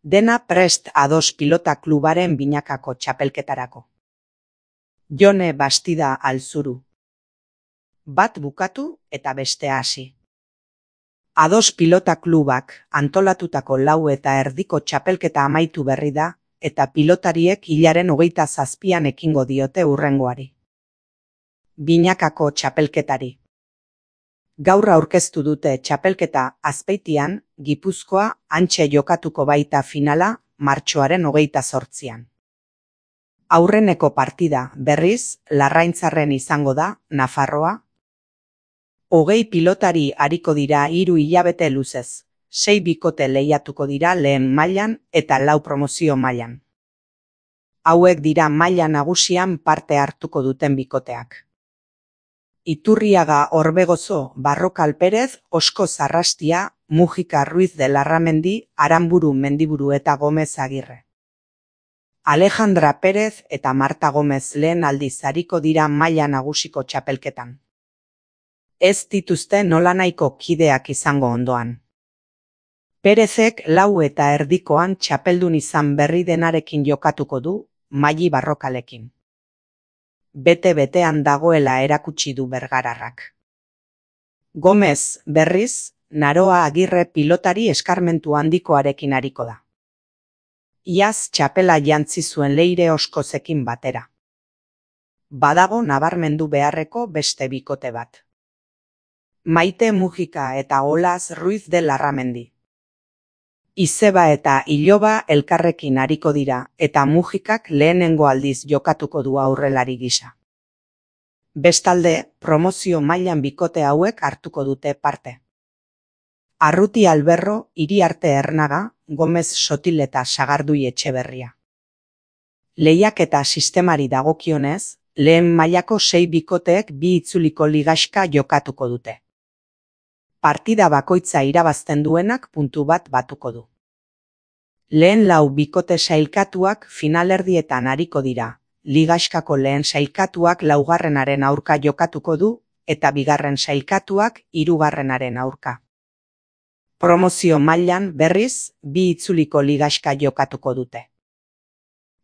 Dena prest A2 Pilota Klubaren binakako txapelketarako. Jone Bastida Alzuru. Bat bukatu eta bestea hasi. A2 Pilota Klubak antolatutako 4:30 txapelketa amaitu berri da, eta pilotariek hilaren 27an ekingo diote hurrengoari. Binakako txapelketari. Gaur aurkeztu dute txapelketa Azpeitian, Gipuzkoa, hantxe jokatuko baita finala, martxoaren 28an. Aurreneko partida, berriz, Larraintzarren izango da, Nafarroa. 20 pilotari ariko dira 3 hilabete luzez, 6 bikote lehiatuko dira lehen mailan eta 4 promozio mailan. Hauek dira maila nagusian parte hartuko duten bikoteak. Iturriaga Orbegozo, Barrokal Perez, Osko Zarrastia, Mujika Ruiz de Larramendi, Aranburu Mendiburu eta Gomez Agirre. Alejandra Perez eta Marta Gomez lehen aldiz ariko dira maila nagusiko txapelketan. Ez dituzte nolanahiko kideak izango ondoan. Perezek 4:30 txapeldun izan berri denarekin jokatuko du, Maili Barrokalekin. Bete-betean dagoela erakutsi du bergararrak. Gomez, berriz, Naroa Agirre pilotari eskarmentu handikoarekin ariko da. Iaz txapela jantzi zuen Leire Oskozekin batera. Badago nabarmendu beharreko beste bikote bat. Maite Mujika eta Olaz Ruiz de Larramendi. Izeba eta Iloba elkarrekin ariko dira, eta Mujikak lehenengo aldiz jokatuko du aurrelari gisa. Bestalde, promozio mailan bikote hauek hartuko dute parte. Arruti Alberro, Iriarte Ernaga, Gomez Sotil eta Sagardui Etxeberria. Lehiaketa sistemari dagokionez, lehen mailako 6 bikoteek 2 itzuliko ligaxka jokatuko dute. Partida bakoitza irabazten duenak puntu bat batuko du. Lehen 4 bikote sailkatuak finalerdietan ariko dira, ligaxkako lehen sailkatuak 4. aurka jokatuko du, eta 2. sailkatuak 3. aurka. Promozio mailan berriz, 2 itzuliko ligaxka jokatuko dute.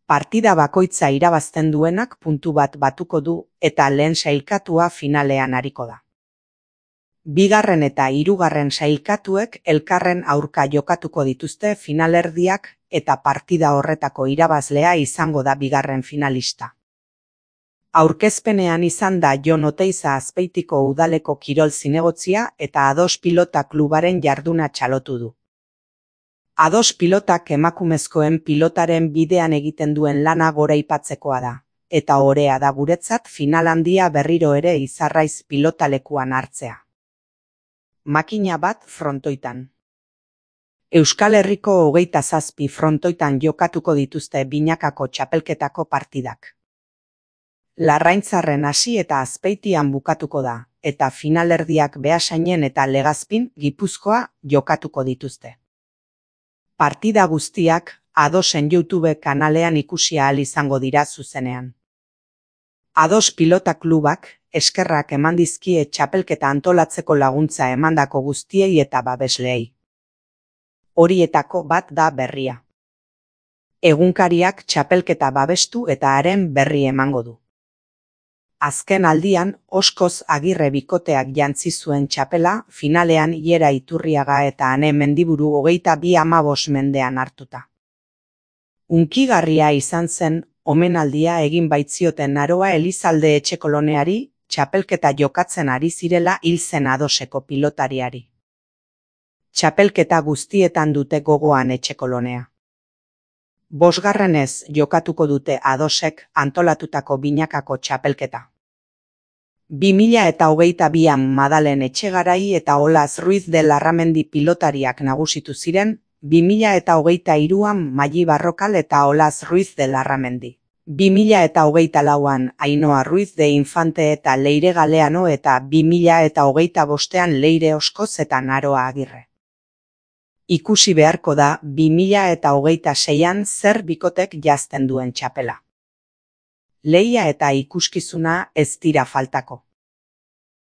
Partida bakoitza irabazten duenak puntu bat batuko du, eta lehen sailkatua finalean ariko da. 2. eta 3. sailkatuek elkarren aurka jokatuko dituzte finalerdiak eta partida horretako irabazlea izango da 2. finalista. Aurkezpenean izan da Jon Oteiza Azpeitiko udaleko kirol zinegotzia eta A2 Pilota Klubaren jarduna txalotu du. A2 Pilotak emakumezkoen pilotaren bidean egiten duen lana goraipatzekoa da, eta orea da guretzat final handia berriro ere Izarraiz pilotalekuan hartzea. Makina bat frontoitan. Euskal Herriko 27 frontoitan jokatuko dituzte binakako txapelketako partidak. Larraintzarren hasi eta Azpeitian bukatuko da, eta finalerdiak Beasainen eta Legazpin, Gipuzkoa, jokatuko dituzte. Partida guztiak A2en YouTube kanalean ikusi ahal izango dira zuzenean. A2 Pilota Klubak eskerrak eman dizkie txapelketa antolatzeko laguntza emandako guztiei eta babesleei. Horietako bat da berria. Egunkariak txapelketa babestu eta haren berri emango du. Azken aldian, Oskoz Agirre bikoteak jantzi zuen txapela, finalean Iera Iturriaga eta Ane Mendiburu 22 mendean hartuta. Unkigarria izan zen, omenaldia egin baitzioten Naroa Elizalde Etxekoloneari, txapelketa jokatzen ari zirela hil zen A2eko pilotariari. Txapelketa guztietan dute gogoan Etxekolonea. 5. jokatuko dute A2ek antolatutako binakako txapelketa. 2022an Madalen Etxegarai eta Olaz Ruiz de Larramendi pilotariak nagusitu ziren, 2023an Maili Barrokal eta Olaz Ruiz de Larramendi. 2024an Ainhoa Ruiz de Infante eta Leire Galeano eta 2025an Leire Oskoz eta Naroa Agirre. Ikusi beharko da 2026an zer bikotek jazten duen txapela. Lehia eta ikuskizuna ez dira faltako.